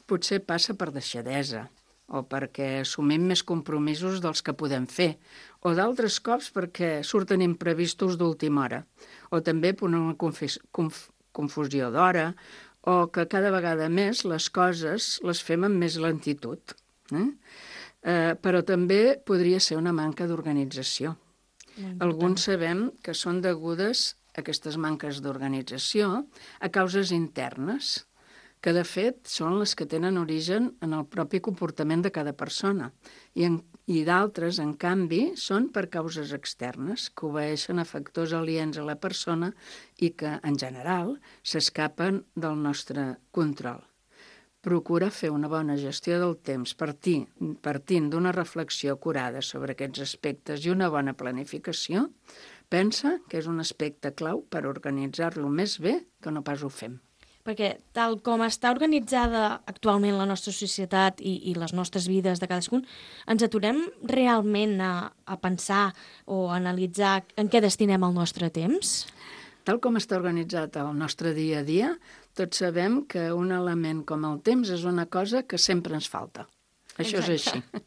potser passa per deixadesa, o perquè assumim més compromisos dels que podem fer, o d'altres cops perquè surten imprevistos d'última hora, o també per una confis- conf- confusió d'hora, o que cada vegada més les coses les fem amb més lentitud. Eh? Eh, però també podria ser una manca d'organització. Alguns sabem que són degudes aquestes manques d'organització a causes internes, que de fet són les que tenen origen en el propi comportament de cada persona, i, en, i d'altres, en canvi, són per causes externes, que obeeixen a factors aliens a la persona i que, en general, s'escapen del nostre control. Procura fer una bona gestió del temps partint, partint d'una reflexió acurada sobre aquests aspectes i una bona planificació. Pensa que és un aspecte clau per organitzar-lo més bé que no pas ho fem. perquè tal com està organitzada actualment la nostra societat i, i les nostres vides de cadascun, ens aturem realment a, a pensar o a analitzar en què destinem el nostre temps? Tal com està organitzat el nostre dia a dia, tots sabem que un element com el temps és una cosa que sempre ens falta. Això Exacte. És així.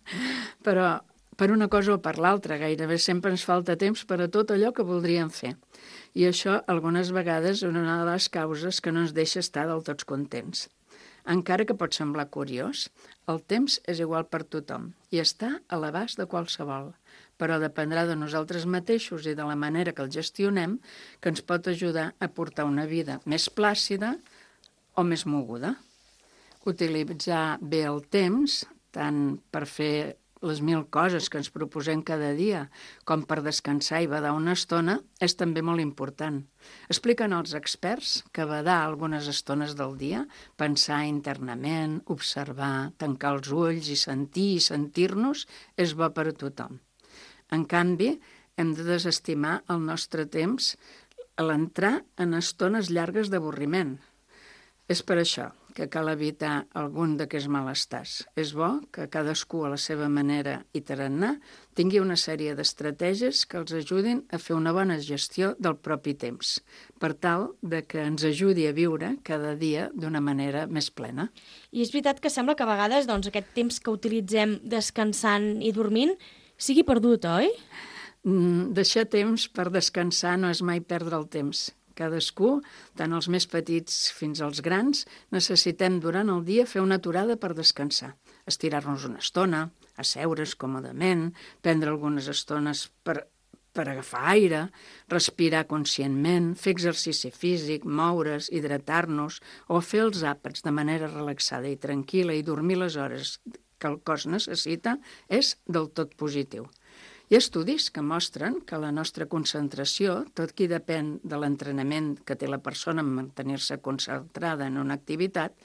Però per una cosa o per l'altra, gairebé sempre ens falta temps per a tot allò que voldríem fer. I això, algunes vegades, és una de les causes que no ens deixa estar del tots contents. Encara que pot semblar curiós, el temps és igual per tothom i està a l'abast de qualsevol, però dependrà de nosaltres mateixos i de la manera que el gestionem que ens pot ajudar a portar una vida més plàcida o més moguda. Utilitzar bé el temps, tant per fer les mil coses que ens proposem cada dia, com per descansar i badar una estona, és també molt important. Expliquen els experts que badar algunes estones del dia, pensar internament, observar, tancar els ulls i sentir i sentir-nos, és bo per a tothom. En canvi, hem de desestimar el nostre temps a l'entrar en estones llargues d'avorriment. És per això que cal evitar algun d'aquests malestars. És bo que cadascú a la seva manera i tarannà tingui una sèrie d'estratègies que els ajudin a fer una bona gestió del propi temps, per tal de que ens ajudi a viure cada dia d'una manera més plena. I és veritat que sembla que a vegades doncs, aquest temps que utilitzem descansant i dormint sigui perdut, oi? Mm, deixar temps per descansar no és mai perdre el temps. Cadascú, tant els més petits fins als grans, necessitem durant el dia fer una aturada per descansar, estirar-nos una estona, asseure's còmodament, prendre algunes estones per, per agafar aire, respirar conscientment, fer exercici físic, moure's, hidratar-nos o fer els àpats de manera relaxada i tranquil·la i dormir les hores que el cos necessita és del tot positiu. Hi ha estudis que mostren que la nostra concentració, tot qui depèn de l'entrenament que té la persona en mantenir-se concentrada en una activitat,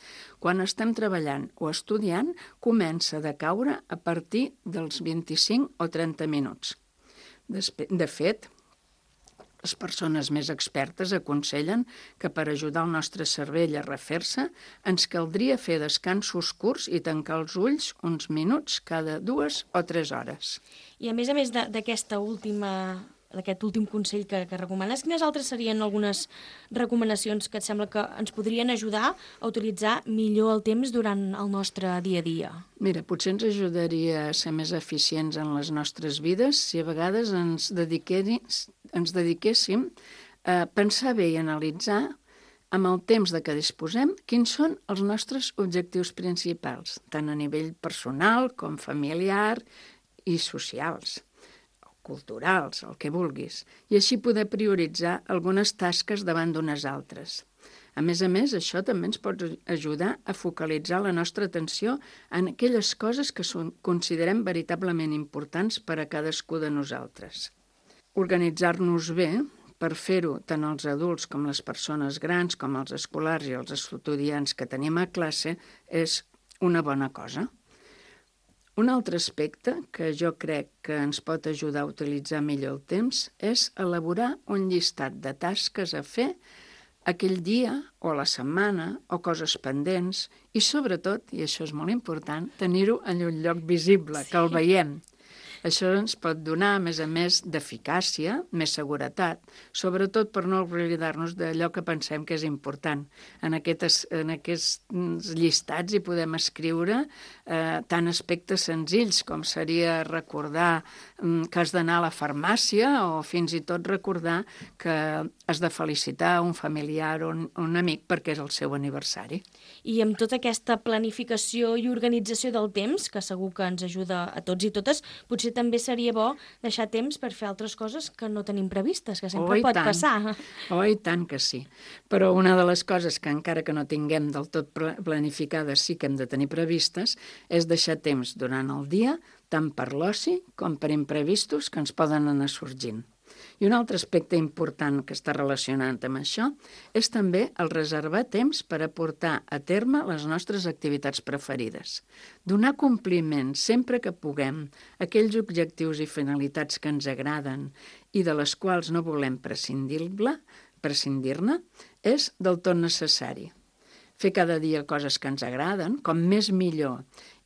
quan estem treballant o estudiant, comença a decaure a partir dels vint-i-cinc o trenta minuts. De fet, les persones més expertes aconsellen que per ajudar el nostre cervell a refer-se ens caldria fer descansos curts i tancar els ulls uns minuts cada dues o tres hores. I a més a més d'aquesta última, d'aquest últim consell que, que recomanes, quines altres serien algunes recomanacions que et sembla que ens podrien ajudar a utilitzar millor el temps durant el nostre dia a dia? Mira, potser ens ajudaria a ser més eficients en les nostres vides si a vegades ens, ens dediquéssim a pensar bé i analitzar amb el temps de què disposem quins són els nostres objectius principals, tant a nivell personal com familiar i socials, culturals, el que vulguis, i així poder prioritzar algunes tasques davant d'unes altres. A més a més, això també ens pot ajudar a focalitzar la nostra atenció en aquelles coses que són, considerem veritablement importants per a cadascú de nosaltres. Organitzar-nos bé, per fer-ho tant els adults com les persones grans, com els escolars i els estudiants que tenim a classe, és una bona cosa. Un altre aspecte que jo crec que ens pot ajudar a utilitzar millor el temps és elaborar un llistat de tasques a fer aquell dia o la setmana o coses pendents i sobretot, i això és molt important, tenir-ho en un lloc visible, sí. Que el veiem. Això ens pot donar, a més a més, d'eficàcia, més seguretat, sobretot per no oblidar-nos d'allò que pensem que és important. En aquests, en aquests llistats hi podem escriure eh, tant aspectes senzills com seria recordar mm, que has d'anar a la farmàcia o fins i tot recordar que has de felicitar un familiar o un, un amic perquè és el seu aniversari. I amb tota aquesta planificació i organització del temps, que segur que ens ajuda a tots i totes, potser també seria bo deixar temps per fer altres coses que no tenim previstes, que sempre oh, pot tant. passar. Oh, i tant que sí. Però una de les coses que encara que no tinguem del tot planificades sí que hem de tenir previstes és deixar temps durant el dia tant per l'oci com per imprevistos que ens poden anar sorgint. I un altre aspecte important que està relacionat amb això és també el reservar temps per a portar a terme les nostres activitats preferides. Donar compliment sempre que puguem a aquells objectius i finalitats que ens agraden i de les quals no volem prescindir-ne prescindir-ne és del tot necessari. fer cada dia coses que ens agraden, com més millor,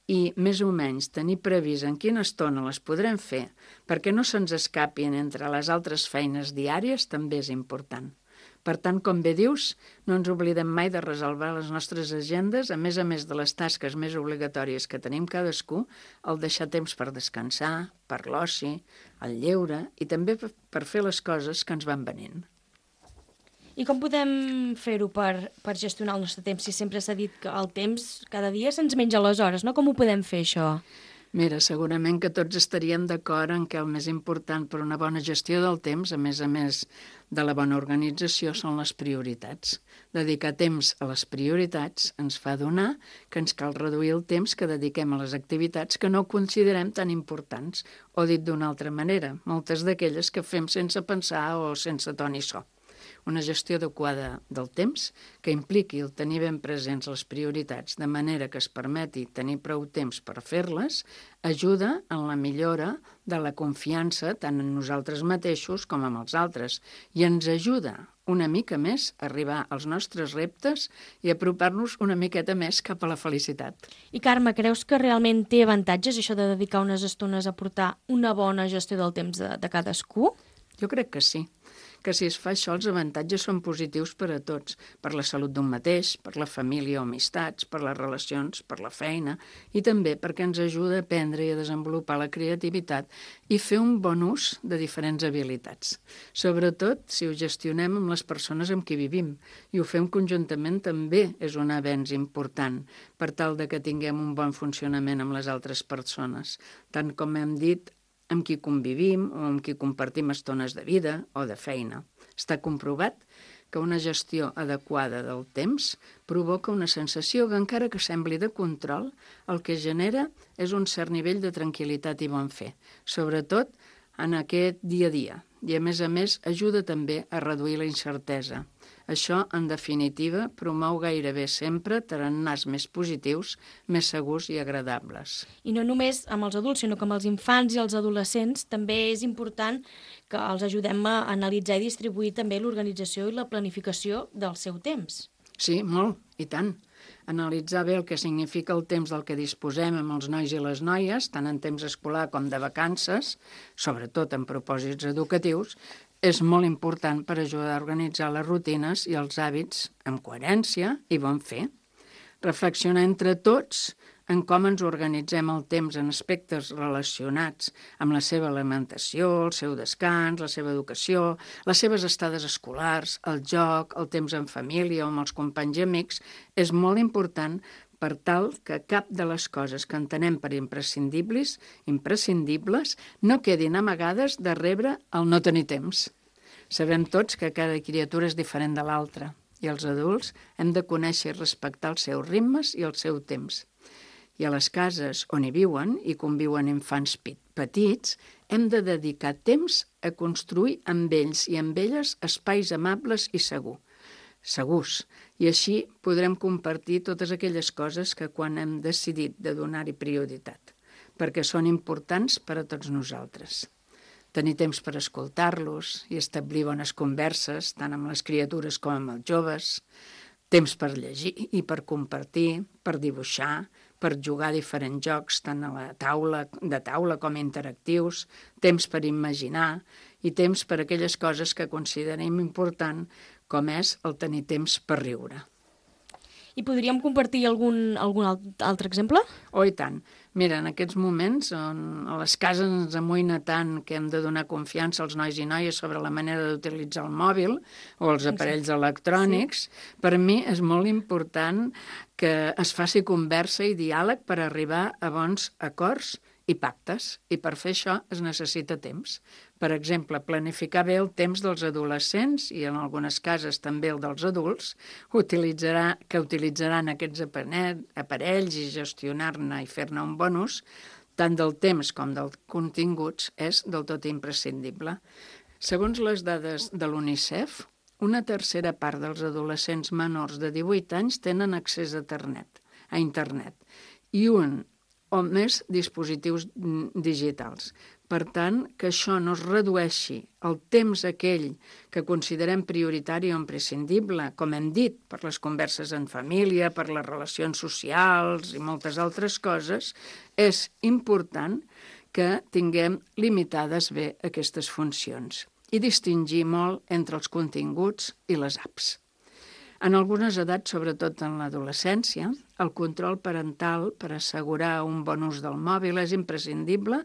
i més o menys tenir previst en quina estona les podrem fer perquè no se'ns escapin entre les altres feines diàries també és important. Per tant, com bé dius, no ens oblidem mai de resolvar les nostres agendes, a més a més de les tasques més obligatòries que tenim cadascú, el deixar temps per descansar, per l'oci, el lleure i també per fer les coses que ens van venint. I com podem fer-ho per, per gestionar el nostre temps? Si sempre s'ha dit que el temps cada dia se'ns menja les hores, no? Com ho podem fer, això? Mira, segurament que tots estaríem d'acord en que el més important per una bona gestió del temps, a més a més de la bona organització, són les prioritats. Dedicar temps a les prioritats ens fa adonar que ens cal reduir el temps que dediquem a les activitats que no considerem tan importants, o dit d'una altra manera, moltes d'aquelles que fem sense pensar o sense to ni so. Una gestió adequada del temps que impliqui el tenir ben presents les prioritats de manera que es permeti tenir prou temps per fer-les ajuda en la millora de la confiança tant en nosaltres mateixos com en els altres i ens ajuda una mica més a arribar als nostres reptes i apropar-nos una miqueta més cap a la felicitat. I Carme, creus que realment té avantatges això de dedicar unes estones a portar una bona gestió del temps de, de cadascú? Jo crec que sí. que si es fa això els avantatges són positius per a tots, per la salut d'un mateix, per la família o amistats, per les relacions, per la feina i també perquè ens ajuda a aprendre i a desenvolupar la creativitat i fer un bon ús de diferents habilitats. Sobretot si ho gestionem amb les persones amb qui vivim i ho fem conjuntament també és un avenç important per tal de que tinguem un bon funcionament amb les altres persones, tant com hem dit amb qui convivim o amb qui compartim estones de vida o de feina. Està comprovat que una gestió adequada del temps provoca una sensació que, encara que sembli de control, el que genera és un cert nivell de tranquil·litat i bon fer, sobretot en aquest dia a dia. I, a més a més, ajuda també a reduir la incertesa. Això, en definitiva, promou gairebé sempre tarannàs més positius, més segurs i agradables. I no només amb els adults, sinó que amb els infants i els adolescents també és important que els ajudem a analitzar i distribuir també l'organització i la planificació del seu temps. Sí, molt, i tant. Analitzar bé el que significa el temps del que disposem amb els nois i les noies, tant en temps escolar com de vacances, sobretot en propòsits educatius, és molt important per ajudar a organitzar les rutines i els hàbits amb coherència i bon fer. Reflexionar entre tots en com ens organitzem el temps en aspectes relacionats amb la seva alimentació, el seu descans, la seva educació, les seves estades escolars, el joc, el temps en família o amb els companys i amics, és molt important per tal que cap de les coses que entenem per imprescindibles, imprescindibles no quedin amagades de rebre el no tenir temps. Sabem tots que cada criatura és diferent de l'altra i els adults hem de conèixer i respectar els seus ritmes i el seu temps. I a les cases on hi viuen i conviuen infants petits, hem de dedicar temps a construir amb ells i amb elles espais amables i segur, segurs. I així podrem compartir totes aquelles coses que quan hem decidit de donar-hi prioritat, perquè són importants per a tots nosaltres. Tenir temps per escoltar-los i establir bones converses, tant amb les criatures com amb els joves, temps per llegir i per compartir, per dibuixar, per jugar a diferents jocs, tant a la taula, de taula com interactius, temps per imaginar i temps per aquelles coses que considerem important, com és el tenir temps per riure. I podríem compartir algun, algun altre exemple? Oh, i tant. Mira, en aquests moments on a les cases ens amoïna tant que hem de donar confiança als nois i noies sobre la manera d'utilitzar el mòbil o els aparells electrònics, sí. Per mi és molt important que es faci conversa i diàleg per arribar a bons acords i pactes, i per fer això es necessita temps. Per exemple, planificar bé el temps dels adolescents i en algunes cases també el dels adults, utilitzarà, que utilitzaran aquests aparells i gestionar-ne i fer-ne un bon ús, tant del temps com dels continguts, és del tot imprescindible. Segons les dades de l'UNICEF, una tercera part dels adolescents menors de divuit anys tenen accés a internet, a internet i un o més dispositius digitals. Per tant, que això no es redueixi el temps aquell que considerem prioritari o imprescindible, com hem dit, per les converses en família, per les relacions socials i moltes altres coses, és important que tinguem limitades bé aquestes funcions i distingir molt entre els continguts i les apps. En algunes edats, sobretot en l'adolescència, el control parental per assegurar un bon ús del mòbil és imprescindible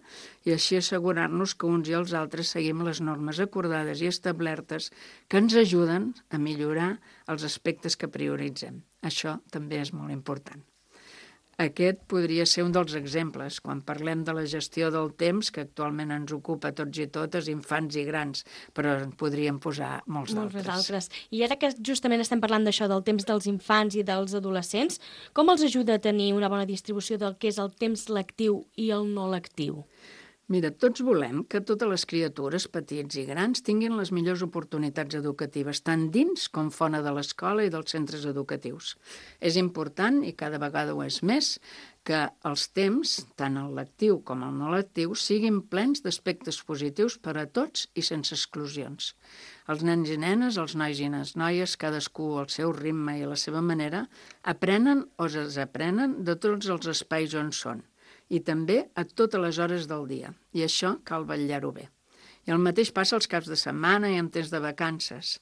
i així assegurar-nos que uns i els altres seguim les normes acordades i establertes que ens ajuden a millorar els aspectes que prioritzem. Això també és molt important. Aquest podria ser un dels exemples, quan parlem de la gestió del temps, que actualment ens ocupa tots i totes, infants i grans, però en podríem posar molts d'altres. Molts altres. I ara que justament estem parlant d'això, del temps dels infants i dels adolescents, com els ajuda a tenir una bona distribució del que és el temps lectiu i el no lectiu? Mira, tots volem que totes les criatures, petits i grans, tinguin les millors oportunitats educatives, tant dins com fora de l'escola i dels centres educatius. És important, i cada vegada ho és més, que els temps, tant el lectiu com el no lectiu, siguin plens d'aspectes positius per a tots i sense exclusions. Els nens i nenes, els nois i les noies, cadascú al seu ritme i a la seva manera, aprenen o es desaprenen de tots els espais on són, i també a totes les hores del dia, i això cal vetllar-ho bé. I el mateix passa als caps de setmana i en temps de vacances.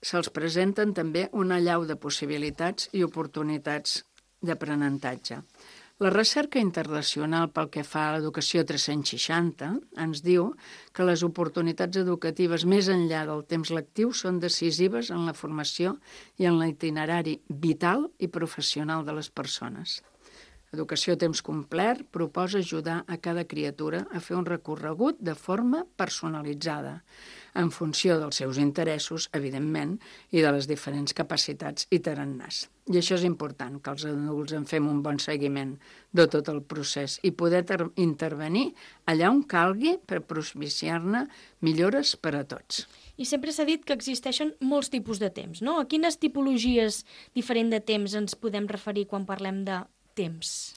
Se'ls presenten també una allau de possibilitats i oportunitats d'aprenentatge. La recerca internacional pel que fa a l'educació tres-cents seixanta ens diu que les oportunitats educatives més enllà del temps lectiu són decisives en la formació i en l'itinerari vital i professional de les persones. Educació a temps complet proposa ajudar a cada criatura a fer un recorregut de forma personalitzada, en funció dels seus interessos, evidentment, i de les diferents capacitats i tarannàs. I això és important, que els adults en fem un bon seguiment de tot el procés i poder intervenir allà on calgui per propiciar-ne millores per a tots. I sempre s'ha dit que existeixen molts tipus de temps, no? A quines tipologies diferents de temps ens podem referir quan parlem de temps?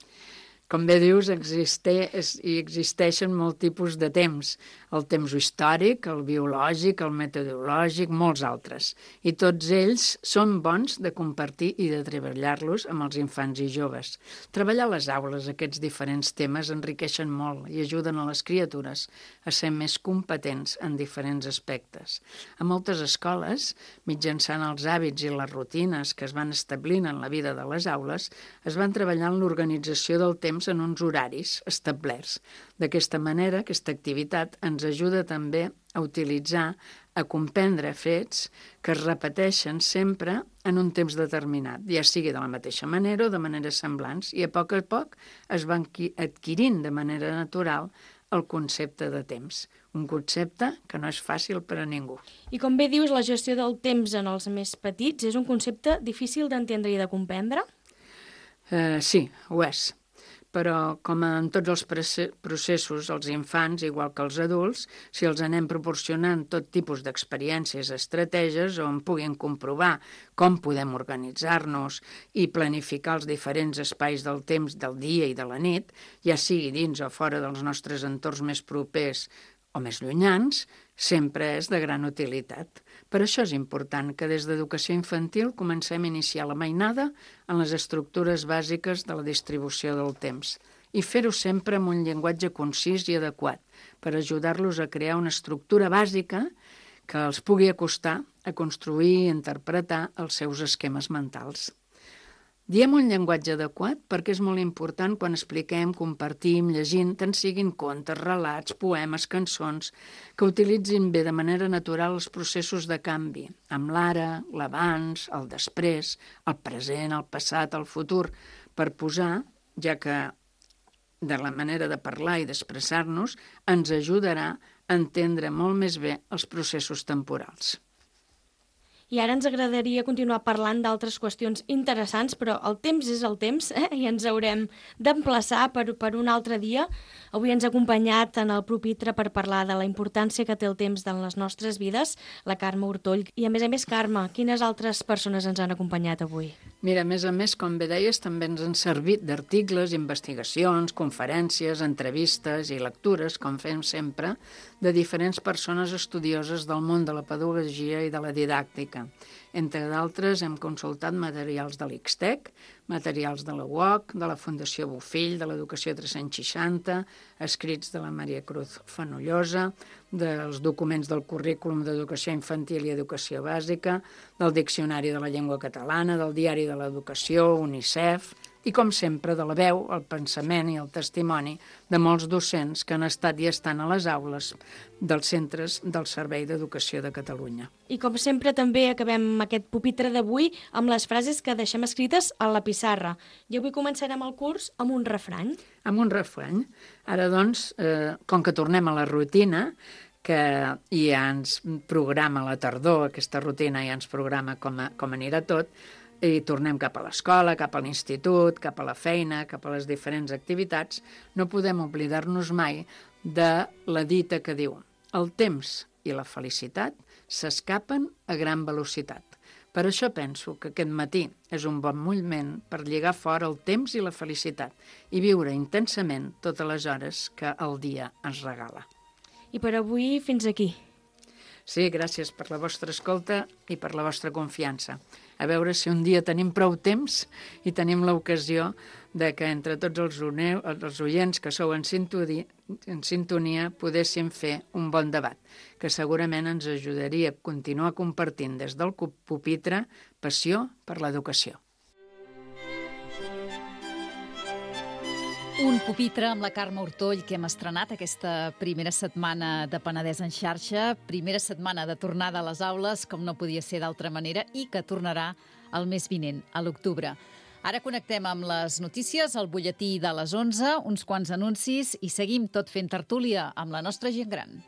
Com bé dius, existeix, i existeixen molts tipus de temps. El temps històric, el biològic, el metodològic, molts altres. I tots ells són bons de compartir i de treballar-los amb els infants i joves. Treballar a les aules aquests diferents temes enriqueixen molt i ajuden a les criatures a ser més competents en diferents aspectes. A moltes escoles, mitjançant els hàbits i les rutines que es van establint en la vida de les aules, es van treballar en l'organització del temps en uns horaris establerts. D'aquesta manera, aquesta activitat ens ajuda també a utilitzar, a comprendre fets que es repeteixen sempre en un temps determinat, ja sigui de la mateixa manera o de maneres semblants, i a poc a poc es van adquirint de manera natural el concepte de temps, un concepte que no és fàcil per a ningú. I com bé dius, la gestió del temps en els més petits és un concepte difícil d'entendre i de comprendre? Uh, sí, ho és. Però, com en tots els processos, els infants, igual que els adults, si els anem proporcionant tot tipus d'experiències, estratègies on puguin comprovar com podem organitzar-nos i planificar els diferents espais del temps del dia i de la nit, ja sigui dins o fora dels nostres entorns més propers o més llunyans, sempre és de gran utilitat. Per això és important que des d'educació infantil comencem a iniciar la mainada en les estructures bàsiques de la distribució del temps i fer-ho sempre amb un llenguatge concís i adequat per ajudar-los a crear una estructura bàsica que els pugui acostar a construir i interpretar els seus esquemes mentals. Diem un llenguatge adequat perquè és molt important quan expliquem, compartim, llegint, tant siguin contes, relats, poemes, cançons, que utilitzin bé de manera natural els processos de canvi, amb l'ara, l'abans, el després, el present, el passat, el futur, per posar, ja que de la manera de parlar i d'expressar-nos ens ajudarà a entendre molt més bé els processos temporals. I ara ens agradaria continuar parlant d'altres qüestions interessants, però el temps és el temps, eh? I ens haurem d'emplaçar per, per un altre dia. Avui ens ha acompanyat en el pupitre per parlar de la importància que té el temps en les nostres vides, la Carme Ortoll. I a més a més, Carme, quines altres persones ens han acompanyat avui? Mira, a més a més, com bé deies, també ens han servit d'articles, investigacions, conferències, entrevistes i lectures, com fem sempre, de diferents persones estudioses del món de la pedagogia i de la didàctica. Entre d'altres, hem consultat materials de l'I X T E C, materials de la U O C, de la Fundació Bofill, de l'Educació tres-cents seixanta, escrits de la Maria Cruz Fenollosa, dels documents del currículum d'Educació Infantil i Educació Bàsica, del Diccionari de la Llengua Catalana, del Diari de l'Educació, UNICEF, i, com sempre, de la veu, el pensament i el testimoni de molts docents que han estat i estan a les aules dels centres del Servei d'Educació de Catalunya. I, com sempre, també acabem aquest pupitre d'avui amb les frases que deixem escrites a la pissarra. I avui començarem el curs amb un refrany. Amb un refrany. Ara, doncs, eh, com que tornem a la rutina, que ja ens programa la tardor, aquesta rutina ja ens programa com, a, com anirà tot, i tornem cap a l'escola, cap a l'institut, cap a la feina, cap a les diferents activitats, no podem oblidar-nos mai de la dita que diu: el temps i la felicitat s'escapen a gran velocitat. Per això penso que aquest matí és un bon moment per lligar fora el temps i la felicitat i viure intensament totes les hores que el dia ens regala. I per avui fins aquí. Sí, gràcies per la vostra escolta i per la vostra confiança. A veure si un dia tenim prou temps i tenim l'ocasió de que entre tots els, uneu, els oients que sou en sintonia, en sintonia podéssim fer un bon debat, que segurament ens ajudaria a continuar compartint des del pupitre passió per l'educació. Un pupitre amb la Carme Ortoll que hem estrenat aquesta primera setmana de Penedès en xarxa, primera setmana de tornada a les aules, com no podia ser d'altra manera, i que tornarà el mes vinent, a l'octubre. Ara connectem amb les notícies, el butlletí de les onze, uns quants anuncis i seguim tot fent tertúlia amb la nostra gent gran.